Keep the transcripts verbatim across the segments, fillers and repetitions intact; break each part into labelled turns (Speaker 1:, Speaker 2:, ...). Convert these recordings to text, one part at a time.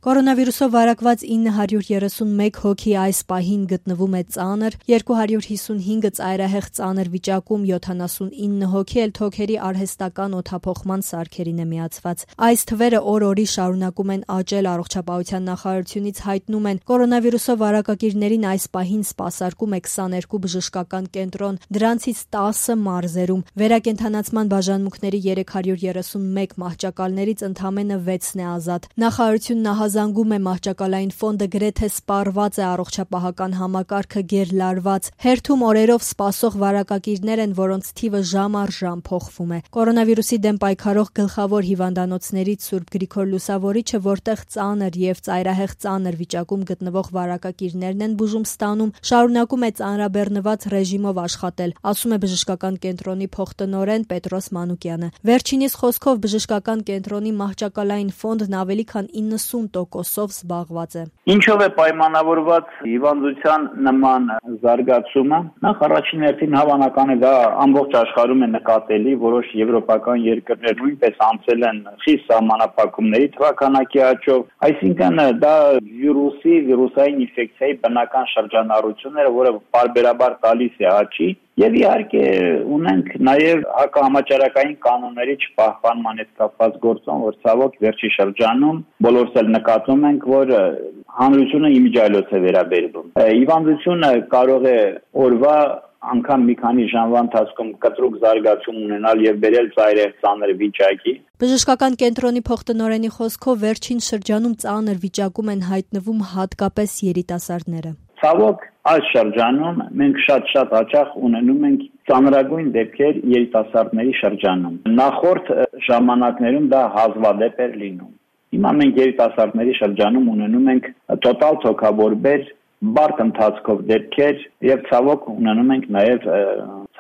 Speaker 1: Կորոնավիրուսով վարակված ինը հարյուր երեսունմեկ հոգի այս պահին գտնվում է ծանր, երկու հարյուր հիսունհինգը ծայրահեղ ծանր վիճակում, յոթանասունինը հոգի էլ թոքերի արհեստական օդափոխման սարքերին է միացված։ Այս թվերը օր-օրի շարունակում են աճել, առողջապահության նախարարությունից հայտնում են, կորոնավիրուսով վարակակիրներին այս պահին սպասարկում է քսաներկու բժշկական կենտրոն, դրանցից տասը մարզերում։ Վերակենդանացման բաժանմունքների երեք հարյուր երեսունմեկ մահճակալներից ընդամենը վեցն է ազատ։ Նախարարությունն զանգում է մահճակալային ֆոնդը գրեթե սպառված է, առողջապահական համակարգը գերլարված։ Հերթում օրերով սպասող վարակակիրներ են, որոնց թիվը ժամ առ ժամ փոխվում է։ Կորոնավիրուսի դեմ պայքարող գլխավոր հիվանդանոցներից Սուրբ Գրիգոր Լուսավորիչը, որտեղ ծանր եւ ծայրահեղ ծանր վիճակում գտնվող վարակակիրներն են բուժում ստանում, շարունակում է ծանրաբեռնված ռեժիմով աշխատել, ասում է բժշկական կենտրոնի փոխտնօրեն Պետրոս Մանուկյանը։ Վերջինիս խոսքով բժշկական կենտրոնի մահճակալային ֆոնդն ավելի քան իննսուն տոկոսով զբաղված է։
Speaker 2: Ինչով է պայմանավորված հիվանդության նման զարգացումը։ Նախ առաջին հերթին հավանական է դա ամբողջ աշխարհում է նկատելի, որոշ եվրոպական երկրներ նույնպես անցել են խիստ սահմանափակումների թվականակի աճով, այսինքն դա վիրուսի, վիրուսային ինֆեկցիայի բնական շրջանառությունները, որը պարբերաբար տալիս է աճի։ Եվ իհարկե ունենք նաև հակահամաճարակային կանոնների չպահպանման հետ կապված գործոն, որ ցավոք վերջի շրջանում բոլորս էլ նկատում ենք, որ հանրությունը իմիջիայլոց է վերաբերվում։ Հիվանդությունը կարող է օրվա անգամ մի քանի ժամվա ընթացքում կտրուկ զարգացում ունենալ եւ բերել ծայրահեղ ծանր վիճակի։
Speaker 1: Բժշկական կենտրոնի փոխտնօրենի խոսքով վերջին շրջանում ծանր վիճակում են հայտնվում հատկապես երիտասարդները։
Speaker 2: Ցավոք այս շրջանում մենք շատ-շատ հաճախ ունենում ենք ծանրագույն դեպքեր երիտասարդների շրջանում։ Նախորդ ժամանակներում դա հազվադեպ էր լինում։ Հիմա մենք երիտասարդների շրջանում ունենում ենք տոտալ թոքաբորբեր, բարդ ընթացքով դեպքեր եւ ցավոք ունենում ենք նաեւ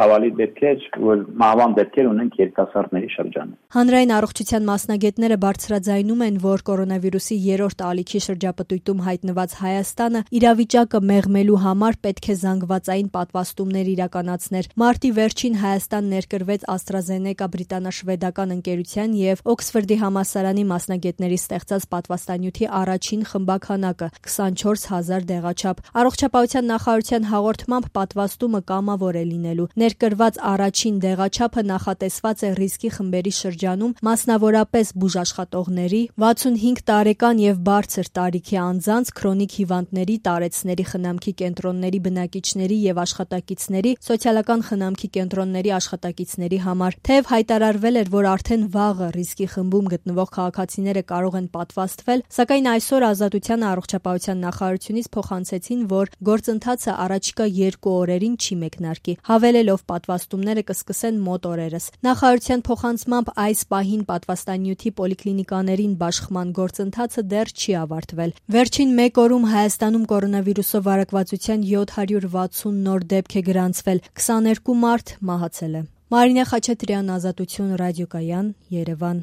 Speaker 2: ցավալի դեպքեր, որ մահվան դեպքեր ունենք երիտասարդների շրջանում։
Speaker 1: Հանրային առողջության մասնագետները բարձրաձայնում են, որ կորոնավիրուսի երրորդ ալիքի շրջապտույտում հայտնված Հայաստանը իրավիճակը մեղմելու համար պետք է զանգվածային պատվաստումներ իրականացներ։ Մարտի վերջին Հայաստան ներկրվեց AstraZeneca բրիտանա-շվեդական ընկերության եւ Օքսֆորդի համալսարանի մասնագետների ստեղծած պատվաստանյութի առաջին խմբականակը քսանչորս հազար դեղաչափ։ Առողջապահության նախարարության հաղորդմամբ պատվաստումը կամավոր է լինելու։ Ներկրված առաջին դեղաչափը նախատեսված է ռիսկի խմբերի շրջանում, մասնավորապես բուժաշխատողների, վաթսունհինգ տարեկան եւ բարձր տարիքի անձանց, քրոնիկ հիվանդների, տարեցների խնամքի կենտրոնների բնակիչների եւ աշխատակիցների, սոցիալական խնամքի կենտրոնների աշխատակիցների համար։ Թեև հայտարարվել էր, որ արդեն վաղը ռիսկի խմբում գտնվող քաղաքացիները կարող են պատվաստվել, սակայն այսօր Ազատության առողջապահության նախարարությունից փոխանցեցին, որ գործընթացը առաջիկա երկու օրերին չի մեկնարկի, հավելելով պատվաստումները կսկսեն մոտ օրերս։ Նախարարության փոխանցմամբ այս պահին պատվաստանյութի պոլիկլինիկաներին բաշխման գործընթացը դեռ չի ավարտվել։ Վերջին մեկ օրում Հայաստանում կորոնավիրուսով վարակվածության յոթ հարյուր վաթսուն նոր դեպք է գրանցվել, քսաներկու մարդ մահացել է։ Մարինե Խաչատրյան, Ազատություն ռադիոկայան, Երևան։